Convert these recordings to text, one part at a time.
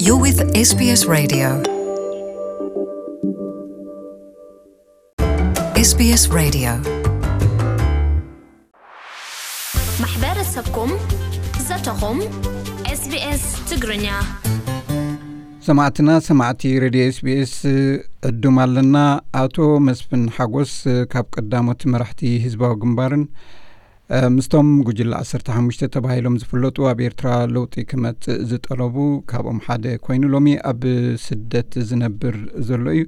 You're with S B S Radio. S B S Radio. ማሕበረሰብኩም፣ ዘተኹም፣ S B S ትግርኛ። ሰማዕትና፣ ሰማዕቲ ሬድዮ S B S ዕዱም ኣለና። ኣቶ መስፍን ሓጎስ ካብ ቀዳሞት መራሕቲ ህዝባዊ ግንባርን ምስቶም ጉጅለ ዓሰርተ ሓሙሽተ ተባሂሎም ዝፍለጡ ኣብ ኤርትራ ለውጢ ክመጽእ ዝጠለቡ ካብኦም ሓደ ኮይኑ፣ ሎሚ ኣብ ስደት ዝነብር ዘሎ እዩ።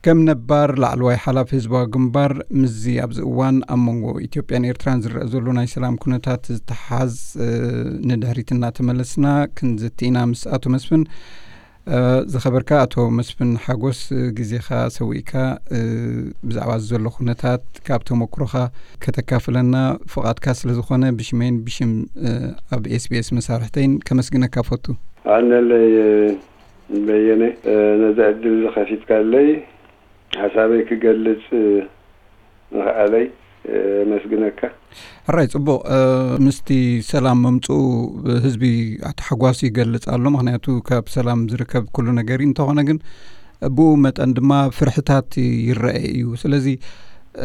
ከም ነባር ላዕለዋይ ሓላፊ ህዝባዊ ግንባር፣ ምስዚ ኣብዚ እዋን ኣብ መንጎ ኢትዮጵያን ኤርትራን ዝረአ ዘሎ ናይ ሰላም ኩነታት ዝተሓዝ ንድሕሪት እናተመለስና ክንዝቲ ኢና ምስ ኣቶ መስፍን። ዝኸበርካ ኣቶ መስፍን ሓጎስ፣ ግዜኻ ሰዊእካ ብዛዕባ ዘሎ ኩነታት ካብ ተመክሮኻ ከተካፍለና ፍቓድካ ስለ ዝኾነ፣ ብሽመይን ብሽም ኣብ S B S መሳርሕተይን ከመስግነካ ፈቱ። ኣነለይ በየነ፣ ነዚ ዕድል ዝኸፊትካለይ ሓሳበይ ክገልጽ ምኽኣለይ የመስግነካ። ሕራይ፣ ጽቡቕ። ምስቲ ሰላም መምጽኡ ህዝቢ ተሓጓሱ ይገልጽ ኣሎ። ምኽንያቱ ካብ ሰላም ዝርከብ ኩሉ ነገር እዩ። እንተኾነ ግን ብኡ መጠን ድማ ፍርሕታት ይረአ እዩ። ስለዚ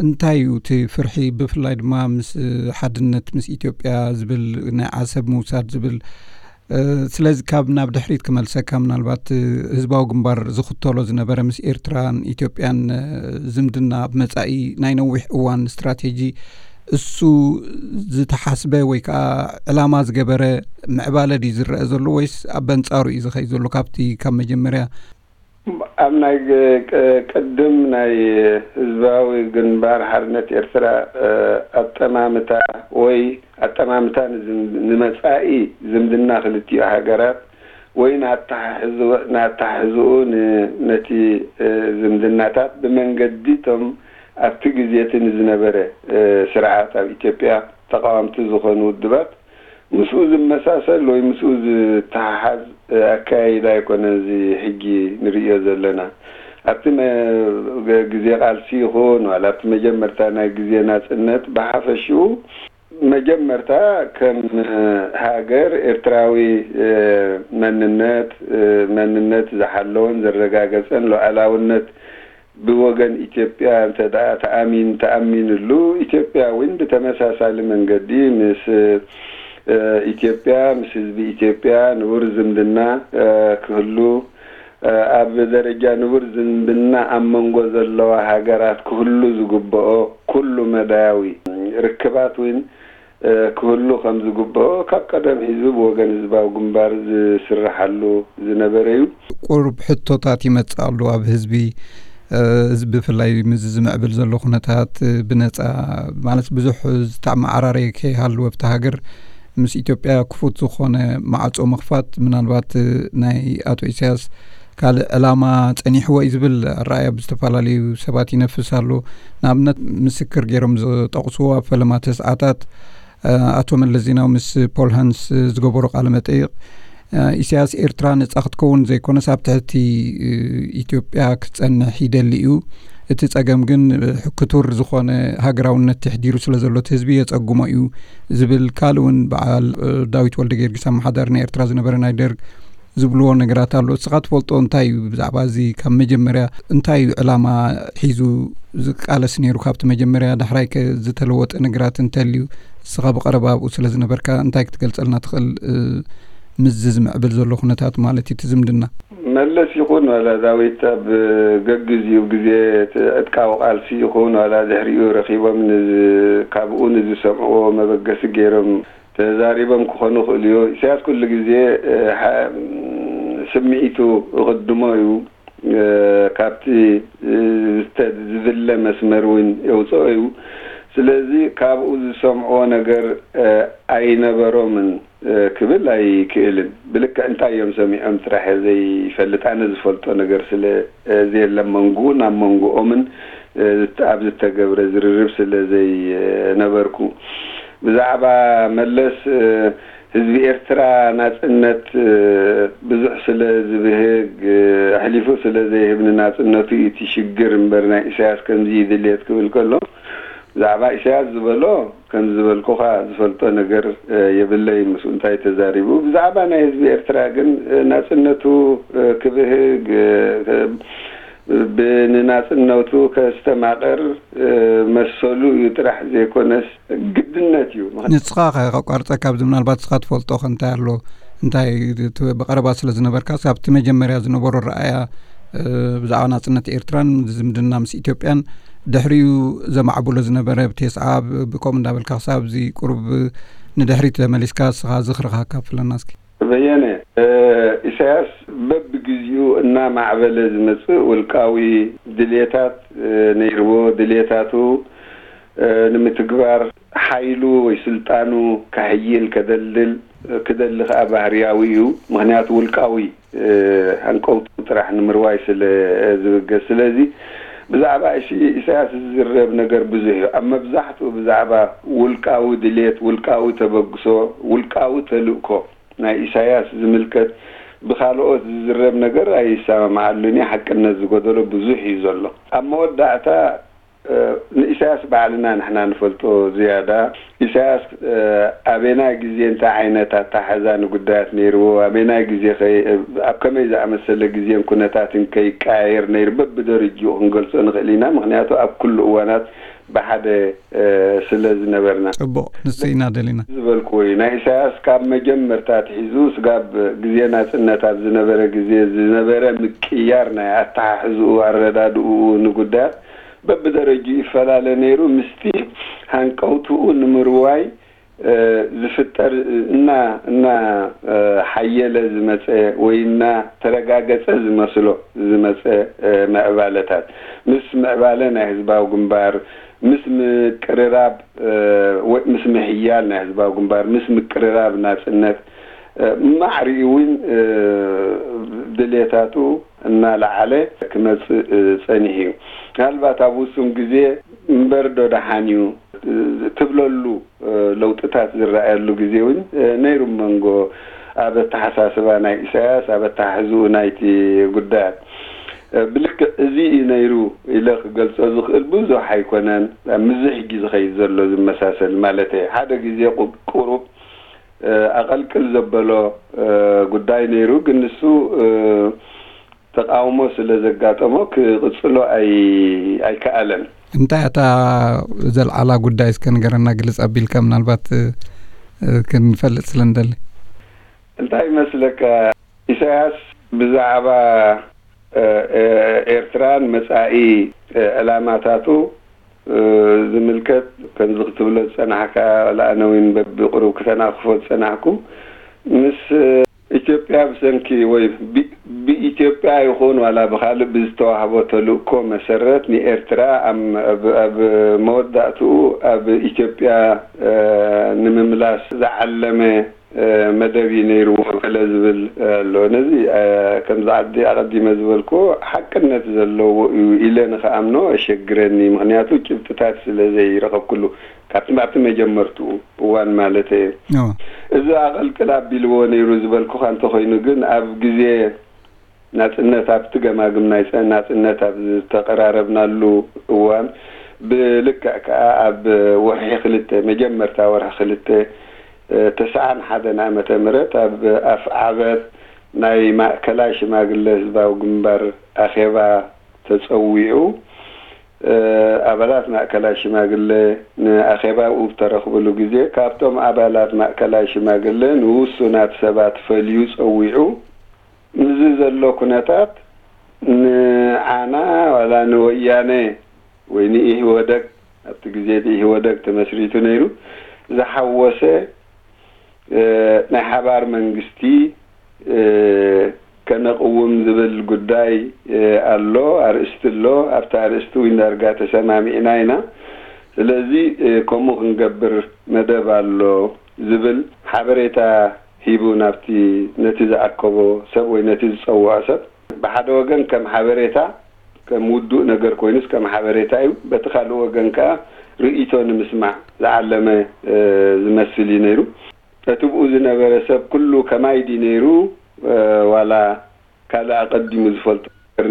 እንታይ እዩ እቲ ፍርሒ? ብፍላይ ድማ ምስ ሓድነት ምስ ኢትዮጵያ ዝብል፣ ናይ ዓሰብ ምውሳድ ዝብል፣ ስለዚ ካብ ናብ ድሕሪት ክመልሰካ፣ ምናልባት ህዝባዊ ግንባር ዝኽተሎ ዝነበረ ምስ ኤርትራን ኢትዮጵያን ዝምድና ኣብ መጻኢ ናይ ነዊሕ እዋን ስትራቴጂ፣ እሱ ዝተሓስበ ወይ ከዓ ዕላማ ዝገበረ ምዕባለ ድዩ ዝረአ ዘሎ ወይስ ኣብ ኣንጻሩ እዩ ዝኸይድ ዘሎ ካብቲ ካብ መጀመርያ? ኣብ ናይ ቅ-፣ ቅድም ናይ ህዝባዊ ግንባር ሓርነት ኤርትራ ኣጠማምታ ወይ ኣጠማምታ ንዝም-፣ ንመጻኢ ዝምድና ክልቲኡ ሃገራት ወይ ንኣተሓሕዝኡ፣ ንኣተሓሕዝኡ ን-፣ ነቲ ዝምድናታት ብመንገዲ እቶም ኣብቲ ግዜ እቲ ንዝነበረ ስርዓት ኣብ ኢትዮጵያ ተቓወምቲ ዝኾኑ ውድባት ምስኡ ዝመሳሰል ወይ ምስኡ ዝተሓሓዝ ኣካያይዳ ኣይኮነን እዚ ሕጂ ንርእዮ ዘለና። ኣብቲ መ-፣ ገ-፣ ግዜ ቃልሲ ይኹን ዋላ ኣብቲ መጀመርታ ናይ ግዜ ናጽነት ብሓፈሽኡ መጀመርታ ከም ሃገር ኤርትራዊ መንነት፣ መንነት ዝሓለወን ዘረጋገጸን ሉዓላውነት ብወገን ኢትዮጵያ እንተ ደኣ ተኣሚን-፣ ተኣሚንሉ፣ ኢትዮጵያ እውን ብተመሳሳሊ መንገዲ ምስ፣ እ፣ ኢትዮጵያ፣ ምስ ህዝቢ ኢትዮጵያ ንቡር ዝምድና፣ እ፣ ክህሉ፣ እ፣ ኣብ ደረጃ ንቡር ዝምድና ኣብ መንጎ ዘለዋ ሃገራት ክህሉ ዝግብኦ ኩሉ መዳያዊ ርክባት እውን እ፣ ክህሉ ከም ዝግብኦ ካብ ቀደም ሒዙ ብወገን ህዝባዊ ግንባር ዝስርሓሉ ዝነበረ እዩ። ቁሩብ ሕቶታት ይመጽእ ኣሎ ኣብ ህዝቢ፣ እ፣ ህዝቢ ብፍላይ ምስዚ ዝምዕብል ዘሎ ኩነታት፣ እ፣ ብነጻ ማለት ብዙሕ ዝተመዓራረየ ከይሃሉ ኣብቲ ሃገር ምስ ኢትዮጵያ ክፉት ዝኾነ ማዕጾ ምኽፋት ምናልባት፣ እ፣ ናይ ኣቶ ኢሳያስ ካልእ ዕላማ ጸኒሕዎ እዩ ዝብል ኣረኣእያ ብዝተፈላለዩ ሰባት ይነፍስ ኣሎ። ንኣብነት ምስክር ገይሮም ዝጠቕስዎ ኣብ ፈለማ ተስዓታት፣ እ፣ ኣቶ መለስ ዜናዊ ምስ ፖል ሃንስ ዝገበሮ ቃለ መጠይቕ፣ እ፣ ኢሳያስ ኤርትራ ነጻ ክትከውን ዘይኮነስ ኣብ ትሕቲ፣ እ፣ ኢትዮጵያ ክትጸንሕ ይደሊ እዩ። እቲ ጸገም ግን፣ እ፣ ክቱር ዝኾነ ሃገራውነት ተሕዲሩ ስለ ዘሎ እቲ ህዝቢ የጸግሞ እዩ ዝብል ካልእ እውን በዓል፣ እ፣ ዳዊት ወልደ ጊዮርጊስ ኣመሓዳሪ ናይ ኤርትራ ዝነበረ ናይ ደርግ ዝብልዎ ነገራት ኣሎ። እስኻ ትፈልጦ እንታይ እዩ ብዛዕባ እዚ? ካብ መጀመርያ እንታይ እዩ ዕላማ ሒዙ ዝቃለስ ነይሩ ካብቲ መጀመርያ? ዳሕራይ ከ ዝተለወጠ ነገራት እንተልዩ፣ እስኻ ብቐረባ ኣብኡ ስለ ዝነበርካ እንታይ ክትገልጸልና ትኽእል? እ፣ ምስዚ ዝምዕብል ዘሎ ኩነታት ማለት እዩ፣ እቲ ዝምድና። መለስ ይኹን ዋላ ዳዊት ኣብ ገግዜኡ ግዜ እቲ ዕጥቃዊ ቃልሲ ይኹን ዋላ ድሕሪኡ ረኺቦም ንዝ-፣ ካብኡ ንዝሰምዕዎ መበገሲ ገይሮም ተዛሪቦም ክኾኑ ይኽእሉ እዩ። ኢሳያስ ኩሉ ግዜ፣ እ፣ ሓ-፣ ስምዒቱ ይቕድሞ እዩ። እ፣ ካብቲ፣ እ፣ ዝተ-፣ ዝድለ መስመር እውን የውፅኦ እዩ። ስለዚ ካብኡ ዝሰምዕዎ ነገር፣ እ፣ ኣይነበሮምን፣ እ፣ ክብል ኣይክእልን። ብልክዕ እንታይ እዮም ሰሚዖም ጥራሕ እየ ዘይፈልጥ። ኣነ ዝፈልጦ ነገር ስለ፣ እ፣ ዘየለ መንጉኡ ናብ መንጉኦምን፣ እ፣ ዝተ-፣ ኣብ ዝተገብረ ዝርርብ ስለ ዘይነበርኩ። ብዛዕባ መለስ፣ እ፣ ህዝቢ ኤርትራ ናጽነት፣ እ፣ ብዙሕ ስለ ዝብህግ፣ እ፣ ኣሕሊፉ ስለ ዘይህብ ንናጽነቱ እዩ እቲ ሽግር እምበር ናይ ኢሳያስ ከምዚ እዩ ድልየት ክብል ከሎ፣ ብዛዕባ ኢሳያስ ዝበሎ ከም ዝበልኩኻ ዝፈልጦ ነገር የብለይን። ምስኡ እንታይ ተዛሪቡ? ብዛዕባ ናይ ህዝቢ ኤርትራ ግን ናጽነቱ ክብህግ፣ ንናጽነቱ ከስተማቕር መሰሉ እዩ ጥራሕ ዘይኮነስ ግድነት እዩ። ንስኻ ከቋርጸካ ኣብዚ ምናልባት ንስኻ ትፈልጦ ከ እንታይ ኣሎ እንታይ ብቀረባ ስለ ዝነበርካ ኣብቲ መጀመርያ ዝነበሮ ረኣያ ብዛዕባ ናጽነት ኤርትራን ዝምድና ምስ ኢትዮጵያን ድሕሪኡ ዘማዕብሎ ዝነበረ ብቴስዓ ብኮም እንዳበልካ ክሳብ እዚ ቁሩብ ንድሕሪት ተመሊስካ ንስኻ ዝኽርኻ ካፍለና እስኪ። በየነ ኢሳያስ በብግዚኡ እናማዕበለ ዝመጽእ ውልቃዊ ድልየታት ነይርዎ። ድልየታቱ ንምትግባር ሓይሉ ወይ ስልጣኑ ከሕይል ከደልድል ክደሊ ከኣ ባህርያዊ እዩ። ምኽንያቱ ውልቃዊ ሃንቀውቱ ጥራሕ ንምርዋይ ስለ ዝብገስ። ስለዚ ብዛዕባ ኢሳያስ ዝዝረብ ነገር ብዙሕ እዩ። ኣብ መብዛሕትኡ ብዛዕባ ውልቃዊ ድሌት፣ ውልቃዊ ተበግሶ፣ ውልቃዊ ተልእኮ ናይ ኢሳያስ ዝምልከት ብኻልኦት ዝዝረብ ነገር ኣይሰማምዓሉን እየ። ሓቅነት ዝጎደሎ ብዙሕ እዩ ዘሎ። ኣብ መወዳእታ ንኢሳያስ ባዕልና ንሕና ንፈልጦ ዝያዳ። ኢሳያስ ኣበናይ ግዜ እንታይ ዓይነት ኣታሓዛ ንጉዳያት ነይርዎ፣ ኣበናይ ግዜ ኣብ ከመይ ዝኣመሰለ ግዜን ኩነታትን ከይቀያየር ነይሩ በብደረጅኡ ክንገልጾ ንኽእል ኢና። ምኽንያቱ ኣብ ኩሉ እዋናት ብሓደ ስለ ዝነበርና። ጽቡቕ፣ ንሱ ኢና ደሊና። ዝበልክዎ እዩ። ናይ ኢሳያስ ካብ መጀመርታ ኣትሒዙ ስጋብ ግዜ ናጽነት ኣብ ዝነበረ ግዜ ዝነበረ ምቅያር ናይ ኣተሓሕዝኡ፣ ኣረዳድኡ ንጉዳያት በብደረጅኡ ይፈላለ ነይሩ። ምስቲ ሃንቀውትኡ ንምርዋይ ዝፍጠር እና እና ሓየለ ዝመፀ ወይ እና ተረጋገፀ ዝመስሎ ዝመፀ ምዕባለታት ምስ ምዕባለ ናይ ህዝባዊ ግንባር ምስ ምቅርራብ ወይ ምስ ምሕያል ናይ ህዝባዊ ግንባር ምስ ምቅርራብ ናፅነት ማዕሪኡ እውን ድሌታቱ እናለዓለ ክመፅእ ፀኒሑ እዩ። ምናልባት ኣብ ውሱን ግዜ እምበር ዶ ደሓን እዩ ትብለሉ ለውጥታት ዝረኣየሉ ግዜ እውን ነይሩ። መንጎ ኣብ ኣተሓሳስባ ናይ ኢሳያስ ኣብ ኣተሓሕዝኡ ናይቲ ጉዳያት ብልክዕ እዚ እዩ ነይሩ ኢለ ክገልጾ ዝኽእል ብዙሕ ኣይኮነን። ኣብ ምዝሕ ሕጂ ዝኸይድ ዘሎ ዝመሳሰል ማለት ሓደ ግዜ ቁሩብ ኣቐልቅል ዘበሎ ጉዳይ ነይሩ፣ ግን ንሱ ተቃውሞ ስለ ዘጋጠሞ ክቕጽሎ ኣይከኣለን። እንታይ እታ ዘልዓላ ጉዳይ እስከ ንገረና ግልጽ ኣቢልካ ምናልባት ክንፈልጥ ስለ ንደሊ። እንታይ ይመስለካ ኢሳያስ ብዛዕባ ኤርትራን መጻኢ ዕላማታቱ ዝምልከት ከምዚ ክትብሎ ዝጸናሕካ ለኣነዊን በብቕሩብ ክተናኽፎ ዝጸናሕኩ ምስ ኢትዮጵያ ብሰንኪ ወይ ብኢትዮጵያ ይኹን ዋላ ብኻልእ ብዝተዋህቦ ተልእኮ መሰረት ንኤርትራ ኣብ መወዳእትኡ ኣብ ኢትዮጵያ ንምምላስ ዝዓለመ መደብ እዩ ነይርዎ ገለ ዝብል ኣሎ። ነዚ ከምዚ ዓዲ ኣቐዲመ ዝበልኩ ሓቅነት ዘለዎ እዩ ኢለ ንክኣምኖ ኣሸግረኒ። ምክንያቱ ጭብጥታት ስለ ዘይረኸብኩሉ ካብቲ ኣብቲ መጀመርትኡ እዋን ማለት እየ። እዚ ኣቐልቅል ኣቢልዎ ነይሩ ዝበልኩኻ እንተኮይኑ ግን ኣብ ግዜ ናጽነት ኣብቲ ገማግም ናይ ናጽነት ኣብ ዝተቐራረብናሉ እዋን ብልክዕ ከኣ ኣብ ወርሒ ክልተ መጀመርታ ወርሒ ክልተ ተስዓን ሓደን ዓመተ ምህረት ኣብ ኣፍ ዓበር ናይ ማእከላይ ሽማግለ ህዝባዊ ግንባር ኣኼባ ተጸዊዑ ኣባላት ማእከላይ ሽማግለ ንኣኼባ ብተረኽብሉ ግዜ ካብቶም ኣባላት ማእከላይ ሽማግለ ንውሱናት ሰባት ፈልዩ ጸዊዑ ምስዚ ዘሎ ኩነታት ንዓና ዋላ ንወያነ ወይ ንኢህወደግ ኣብቲ ግዜ እቲ ኢህወደግ ተመስሪቱ ነይሩ ዝሓወሰ ናይ ሓባር መንግስቲ ከነቕውም ዝብል ጉዳይ ኣሎ፣ ኣርእስቲ ኣሎ። ኣብቲ ኣርእስቲ እውን ዳርጋ ተሰማሚዕና ኢና። ስለዚ ከምኡ ክንገብር መደብ ኣሎ ዝብል ሓበሬታ ሂቡ ናብቲ ነቲ ዝኣከቦ ሰብ ወይ ነቲ ዝጸውዖ ሰብ ብሓደ ወገን ከም ሓበሬታ ከም ውዱእ ነገር ኮይኑስ ከም ሓበሬታ እዩ። በቲ ካልእ ወገን ከኣ ርእይቶ ንምስማዕ ዝዓለመ ዝመስል እዩ ነይሩ። እቲ ብኡ ዝነበረ ሰብ ኩሉ ከማይ ድዩ ነይሩ ዋላ ካልእ ኣቐዲሙ ዝፈልጦ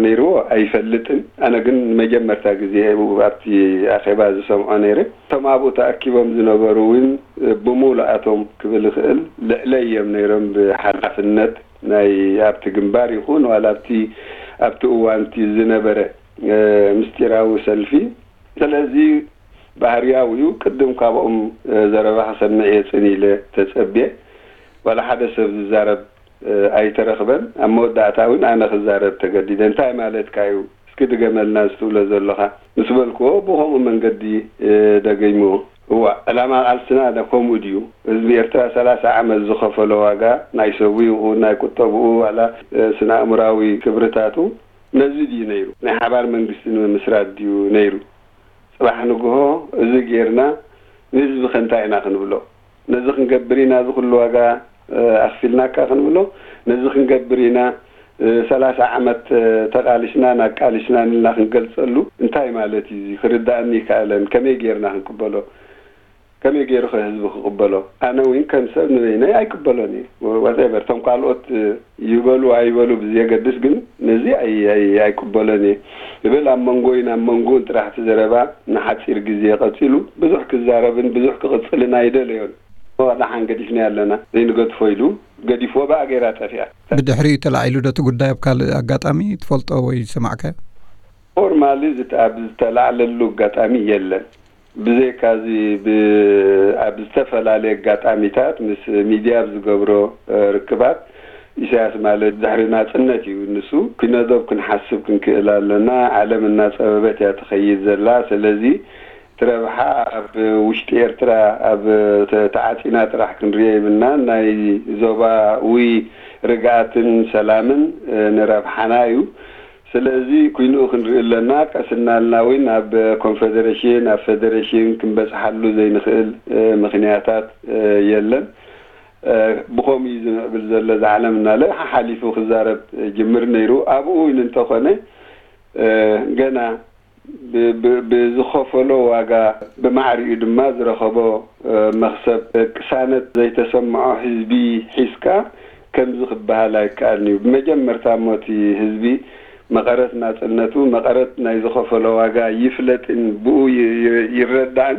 ነይርዎ ኣይፈልጥን። ኣነ ግን ንመጀመርታ ግዜ ኣብቲ ኣኼባ ዝሰምዖ ነይረ። እቶም ኣብኡ ተኣኪቦም ዝነበሩ እውን ብሙሉኣቶም ክብል ይኽእል ልዕለይ እዮም ነይሮም ብሓላፍነት ናይ ኣብቲ ግንባር ይኹን ዋላ ኣብቲ ኣብቲ እዋንቲ ዝነበረ ምስጢራዊ ሰልፊ። ስለዚ ባህርያዊ እዩ። ቅድም ካብኦም ዘረባ ክሰምዕ እየ ጽን ኢለ ተጸብየ። ዋላ ሓደ ሰብ ዝዛረብ ኣይተረኽበን። ኣብ መወዳእታ እውን ኣነ ክዛረብ ተገዲደ። እንታይ ማለትካ እዩ? እስኪ ድገመልና እዚ ትብሎ ዘለኻ ምስ በልክዎ ብኸምኡ መንገዲ ደገይምዎ። እዋ ዕላማ ቃልስና ከምኡ ድዩ? ህዝቢ ኤርትራ ሰላሳ ዓመት ዝኸፈሎ ዋጋ ናይ ሰቡ ይኹን ናይ ቁጠብኡ ዋላ ስነ ኣእምራዊ ክብርታቱ ነዚ ድዩ ነይሩ? ናይ ሓባር መንግስቲ ንምምስራት ድዩ ነይሩ? ጽባሕ ንግሆ እዚ ጌርና ንህዝቢ ከ እንታይ ኢና ክንብሎ? ነዚ ክንገብር ኢና እዚ ኩሉ ዋጋ ኣኽፊልናካ ክንብሎ? ነዚ ክንገብር ኢና ሰላሳ ዓመት ተቓሊስናን ኣቃሊስናን ኢልና ክንገልጸሉ እንታይ ማለት እዩ? እዚ ክርዳእኒ ይከኣለን። ከመይ ጌርና ክንቅበሎ? ከመይ ገይሩ ከ ህዝቢ ክቕበሎ? ኣነ እውን ከም ሰብ ንበይነይ ኣይቅበሎን እየ። ዋቴቨር እቶም ካልኦት ይበሉ ኣይበሉ ብዘየገድስ ግን ነዚ ኣይቅበሎን እየ እብል። ኣብ መንጎይን ኣብ መንጎኡን ጥራሕ እቲ ዘረባ ንሓፂር ግዜ ቀፂሉ። ብዙሕ ክዛረብን ብዙሕ ክቕፅልን ኣይደለዮን። ደሓን ገዲፍናዮ ኣለና፣ ዘይንገድፎ ኢሉ ገዲፍዎ፣ ብኣ ገይራ ጠፊኣ። ብድሕሪኡ ተላዒሉ ዶ እቲ ጉዳይ ኣብ ካልእ ኣጋጣሚ ትፈልጦ ወይ ዝሰማዕካዮ? ፎርማሊ ኣብ ዝተላዕለሉ ኣጋጣሚ የለን። ብዘይካዚ ኣብ ዝተፈላለየ ኣጋጣሚታት ምስ ሚድያ ኣብ ዝገብሮ ርክባት፣ ኢሳያስ ማለት ድሕሪ ናጽነት እዩ። ንሱ ኪነዶብ ክንሓስብ ክንክእል ኣለና። ዓለም እናጸበበት እያ ትኸይድ ዘላ። ስለዚ እቲ ረብሓ ኣብ ውሽጢ ኤርትራ ኣብ ተዓጺና ጥራሕ ክንሪኦ የብልናን። ናይ ዞባዊ ርግኣትን ሰላምን ንረብሓና እዩ። ስለዚ ኩይንኡ ክንርኢ ኣለና። ቀስ እናልና እውን ኣብ ኮንፌደሬሽን ኣብ ፌደሬሽን ክንበጽሓሉ ዘይንኽእል ምኽንያታት የለን። ብኸምኡ እዩ ዝምዕብል ዘሎ እዚ ዓለም እናለ ሓሓሊፉ ክዛረብ ጅምር ነይሩ። ኣብኡ እውን እንተኾነ ገና ብዝኸፈሎ ዋጋ ብማዕሪኡ ድማ ዝረኸቦ መኽሰብ ቅሳነት ዘይተሰምዖ ህዝቢ ሒዝካ ከምዚ ክበሃል ኣይከኣልን እዩ። ብመጀመርታ እሞ እቲ ህዝቢ መቐረት ናጽነቱ፣ መቐረት ናይ ዝኸፈሎ ዋጋ ይፍለጥን ብኡ ይረዳእን።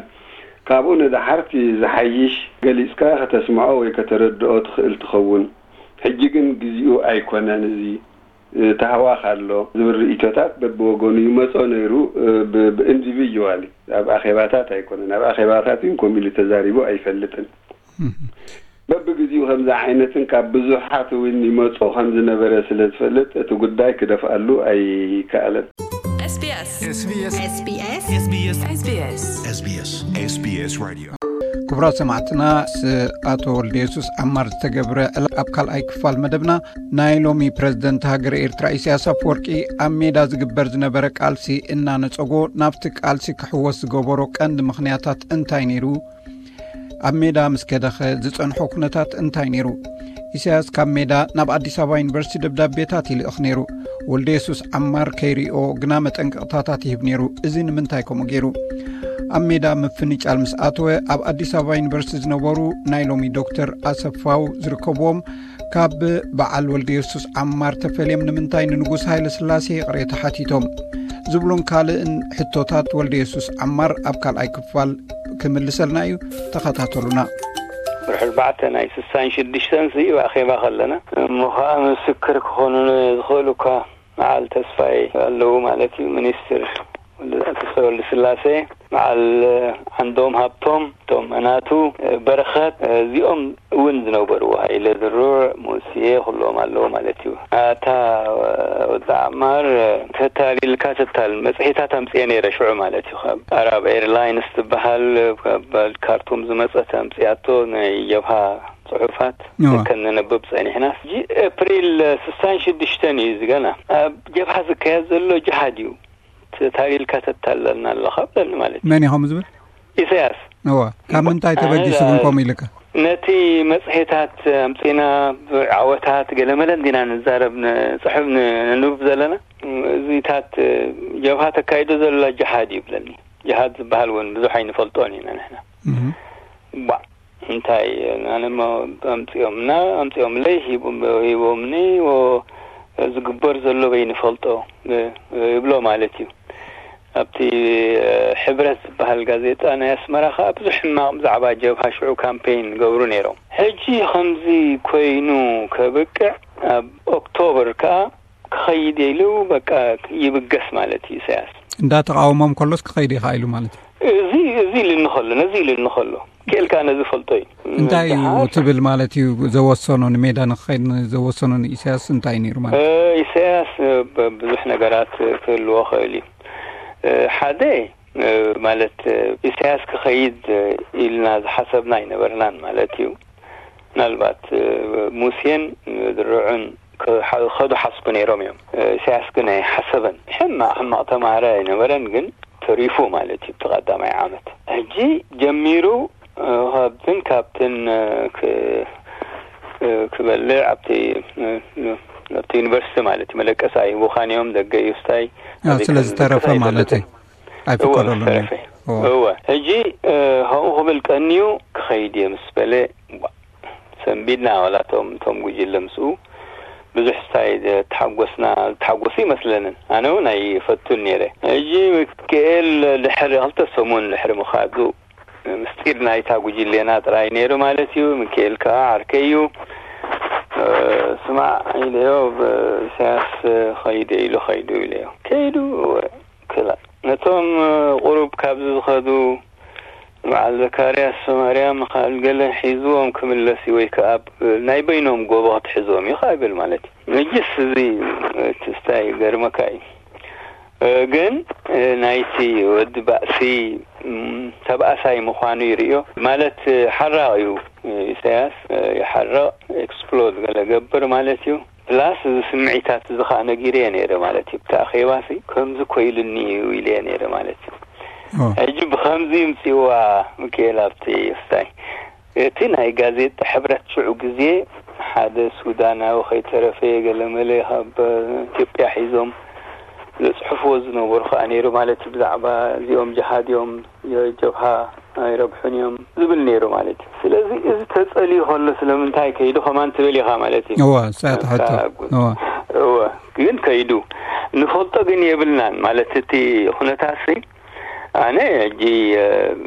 ካብኡ ንደሓር እቲ ዝሓይሽ ገሊጽካ ከተስምዖ ወይ ከተረድኦ ትኽእል ትኸውን። ሕጂ ግን ግዚኡ ኣይኮነን። እዚ ተህዋኽ ኣሎ ዝብል ርእይቶታት በብወገኑ ይመጾ ነይሩ። ብኢንዲቪጁዋሊ ኣብ ኣኼባታት ኣይኮነን። ኣብ ኣኼባታት እውን ከምኡ ኢሉ ተዛሪቡ ኣይፈልጥን። በብግዚኡ ከምዚ ዓይነትን ካብ ብዙሓት እውን ይመጾ ከም ዝነበረ ስለ ዝፈልጥ እቲ ጉዳይ ክደፍኣሉ ኣይከኣለን። SBS SBS SBS SBS SBS SBS Radio። ክቡራት ሰማዕትና፣ ስ ኣቶ ወልደ የሱስ ዓማር ዝተገብረ ዕላል ኣብ ካልኣይ ክፋል መደብና ናይ ሎሚ ፕረዚደንት ሃገረ ኤርትራ ኢሳያስ ኣፈወርቂ ኣብ ሜዳ ዝግበር ዝነበረ ቃልሲ እናነጸጎ ናብቲ ቃልሲ ክሕወስ ዝገበሮ ቀንዲ ምኽንያታት እንታይ ነይሩ? ኣብ ሜዳ ምስ ከደኸ ዝጸንሖ ኩነታት እንታይ ነይሩ? ኢሳያስ ካብ ሜዳ ናብ ኣዲስ ኣበባ ዩኒቨርሲቲ ደብዳቤታት ይልእኽ ነይሩ። ወልደ የሱስ ዓማር ከይሪኦ ግና መጠንቀቕታታት ይህብ ነይሩ። እዚ ንምንታይ ከምኡ ገይሩ? ኣብ ሜዳ ምፍንጫል ምስ ኣተወ ኣብ ኣዲስ ኣበባ ዩኒቨርሲቲ ዝነበሩ ናይ ሎሚ ዶክተር ኣሰፋው ዝርከብዎም ካብ በዓል ወልደ የሱስ ዓማር ተፈልዮም ንምንታይ ንንጉስ ሃይለ ስላሴ ይቕሬታ ሓቲቶም? ዝብሉን ካልእን ሕቶታት ወልደ የሱስ ዓማር ኣብ ካልኣይ ክፋል ክምልሰልና እዩ። ተኸታተሉና። ወርሒ ኣርባዕተ ናይ ስሳን ሽዱሽተን ሲ ኣኼባ ከለና እሞ ኸዓ ምስክር ክኾኑ ዝኽእሉ እኳ በዓል ተስፋይ ኣለዉ ማለት እዩ። ሚኒስትር ወልደ-፣ ተስፋይ ወልደስላሴ፣ በዓል ዓንዶም ሃብቶም፣ እቶም ናቱ በረኸት፣ እዚኦም እውን ዝነበርዎ፣ ሃይለ ድሩዕ፣ ሙስየ፣ ኩሎም ኣለዉ ማለት እዩ። ኣታ ወዲ ዓማር፣ ተታሊልካ ተታል መጽሔታት ኣምጽኤ ነይረ ሽዑ ማለት እዩ። ካብ ኣራብ ኤርላይንስ ትበሃል፣ ካብ ካርቱም ዝመጸት ኣምጽኣቶ ናይ ጀብሃ ጽሑፋት እዋ። ከነንብብ ጸኒሕና። ሕጂ ኤፕሪል ስሳን ሽዱሽተን እዩ እዚ ገና። ኣብ ጀብሃ ዝካየድ ዘሎ ጅሃድ እዩ። ተታሊልካ ተታለልና ኣለኻ ብለኒ ማለት እዩ። መን ኢኹም ዝብል? ኢሳያስ። እዋ። ካብ ምንታይ ተበጊሱ ኣነ ግን ከምኡ ኢልካ? ነቲ መጽሔታት ኣምጺና፣ ዓወታት፣ ገለመለ እንዲና ንዛረብ፣ ንጽሕፍ፣ ን-፣ ነንብብ ዘለና። እዚታት ጀብሃ ተካይዶ ዘላ ጅሃድ እዩ ብለኒ። ጅሃድ ዝበሃል እውን ብዙሕ ኣይንፈልጦን ኢና ንሕና። እህ። ባ-፣ እንታይ፣ ኣነማ ኣምጺኦምና፣ ኣምጺኦምለይ፣ ሂቦም-፣ ሂቦምኒ፣ ወ-፣ ዝግበ ዘሎ በይንፈልጦ ይብሎ ማለት እዩ። ኣብቲ ሕብረት ዝበሃል ጋዜጣ ናይ ኣስመራ ከዓ ብዙሕ ሕማቕ ብዛዕባ ጀብሃ ሽዑ ካምፔን ገብሩ ነይሮም። ሕጂ ከምዚ ኮይኑ ከብቅዕ ኣብ ኦክቶበር ከዓ ክኸይድ ኢሉ በቃ ይብገስ ማለት እዩ ኢሳያስ። እንዳተቃወሞም ከሎስ ክኸይድ ኢኻ ኢሉ ማለት እዩ። እዚ እዚ ኢሉኒ ከሎ ነዚ ኢሉኒ ከሎ ክእልካ ነዚ ፈልጦ እዩ። እንታይ እዩ ትብል ማለት እዩ? ዘወሰኖ ንሜዳ ንክኸይድ ዘወሰኖ ንኢሳያስ እንታይ ነይሩ ማለት እዩ? ኢሳያስ ብዙሕ ነገራት ክህልዎ ክእል እዩ። ሓደ ማለት ኢሳያስ ክኸይድ ኢልና ዝሓሰብና ኣይነበርናን ማለት እዩ። ምናልባት ሙሴን ድርዑን ከዱ ሓስቡ ነይሮም እዮም። ኢሳያስ ግን ኣይሓሰበን። ሕማቕ ሕማቕ ተማሃራይ ኣይነበረን፣ ግን ተሪፉ ማለት እዩ። እቲ ቀዳማይ ዓመት ሕጂ ጀሚሩ ካብትን ካብትን ክበልዕ ኣብቲ ኣብቲ ዩኒቨርሲቲ ማለት እዩ። መደቀስ ኣይህቡኻን እዮም፣ ደገ እዩ ስታይ። ስለ ዝተረፈ ማለት እዩ። ኣይፍቀደሉን። እወ ሕጂ ከምኡ ክብል ቀንዩ ክኸይድ እየ ምስ በለ ሰንቢድና ዋላቶም እቶም ጉጅለ ምስኡ ብዙሕ ስታይ ተሓጎስና ተሓጎሱ ይመስለንን። ኣነ እውን ኣይፈቱን ነይረ። ሕጂ ሚካኤል ድሕሪ ክልተ ሰሙን ድሕሪ ምኻዱ ምስጢር ናይታ ጉጅሌና ጥራይ ነይሩ ማለት እዩ። ሚካኤል ከዓ ዓርከይ እዩ። ስማዕ ኢለዮ፣ ኢሳያስ ኸይደ ኢሉ ኸይዱ ኢለዮ። ከይዱ ክላ ነቶም ቁሩብ ካብዚ ዝኸዱ በዓል ዘካርያስ ማርያም ኻል ገለ ሒዝዎም ክምለስ እዩ ወይ ከዓ ናይ በይኖም ጎቦ ክትሕዝዎም እዩ ከዓ ይብል ማለት እዩ። መጅስ እዚ ትስታይ ገርመካ እዩ። ግን ናይቲ ወዲ ባእሲ ተባእሳይ ምዃኑ ይርእዮ ማለት ሓራቕ እዩ። ኢሳያስ ይሓርቕ፣ ኤክስፕሎድ ገለ ገብር ማለት እዩ። ፕላስ እዚ ስምዒታት እዚ ከዓ ነጊረየ ነይረ ማለት እዩ። ብቲ ኣኼባሲ ከምዚ ኮይሉኒ እዩ ኢለየ ነይረ ማለት እዩ። ሕጂ ብኸምዚ ይምፅእዋ ሚካኤል ኣብቲ ስታይ እቲ ናይ ጋዜጣ ሕብረት ሽዑ ግዜ ሓደ ሱዳናዊ ከይተረፈ ገለመለ ካብ ኢትዮጵያ ሒዞም ዘፅሕፍዎ ዝነበሩ ከዓ ነይሩ ማለት እዩ። ብዛዕባ እዚኦም ጅሃድ እዮም፣ ጀብሃ ኣይረብሑን እዮም ዝብል ነይሩ ማለት እዩ። ስለዚ እዚ ተፀልዩ ከሎ ስለምንታይ ከይዱ ከማን ትብል ኢኻ ማለት እዩ። እወ፣ እሳ እያ ትሕቶ። እወ። እወ፣ ግን ከይዱ ንፈልጦ ግን የብልናን ማለት እቲ ኩነታሲ ኣነ ሕጂ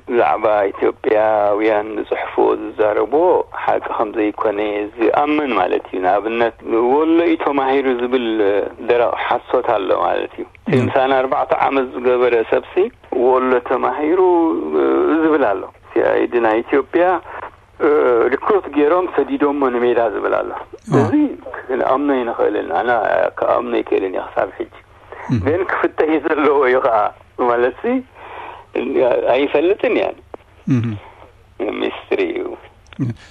ብዛዕባ ኢትዮጵያውያን ዝፅሕፍዎ ዝዛረብዎ ሓቂ ከም ዘይኮነ ዝኣምን ማለት እዩ። ንኣብነት ወሎ እዩ ተማሂሩ ዝብል ደረቕ ሓሶት ኣሎ ማለት እዩ። ምሳና ኣርባዕተ ዓመት ዝገበረ ሰብሲ ወሎ ተማሂሩ ዝብል ኣሎ። ሲኣይዲ ናይ ኢትዮጵያ ሪክሩት ገይሮም ሰዲዶሞ ንሜዳ ዝብል ኣሎ። እዚ ክንኣምኖ ይንኽእልን ኣነ ክኣምኖ ይክእልን እየ ክሳብ ሕጂ። ግን ክፍተሽ ዘለዎ እዩ ከዓ ማለት ኣይፈልጥን እያን። ሚስትሪ እዩ።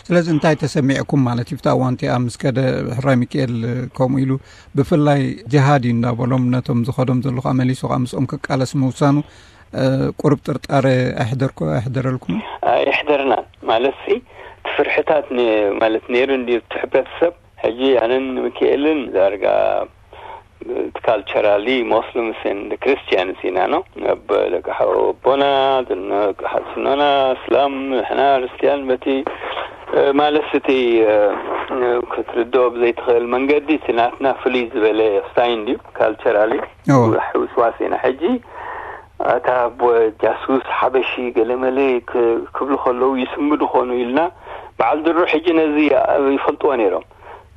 ስለዚ እንታይ ተሰሚዕኩም ማለት እዩ ብታ እዋን እቲኣ ምስ ከደ ሕራይ ሚካኤል ከምኡ ኢሉ ብፍላይ ጅሃድ እዩ እንዳበሎም ነቶም ዝኸዶም ዘለኹ ኣመሊሱ ከዓ ምስኦም ክቃለስ ምውሳኑ ቁሩብ ጥርጣረ ኣይሕደረልኩምን? ኣይሕደርናን ማለት ሲ እቲ ፍርሕታት ማለት ነይሩ እንዲ እቲ ሕብረተሰብ ሕጂ ኣነን ሚካኤልን ዳርጋ ካልቸራሊ ሞስሊምስ ኤንድ ክርስቲያንስ ኢና ነው። ኣብ ደቂ ኣቦና ደቂ ሓትኖና እስላም ንሕና ክርስቲያን በቲ ማለት እቲ ክትርድኦ ብዘይትኽእል መንገዲ እቲ ናትና ፍሉይ ዝበለ ስታይ እንድዩ። ካልቸራሊ ውስዋስ ኢና ሕጂ ኣታ ጃሱስ ሓበሺ ገለመለ ክብሉ ከለዉ ይስምዱ ኾኑ ኢልና በዓል ድሩ ሕጂ ነዚ ይፈልጥዎ ነይሮም።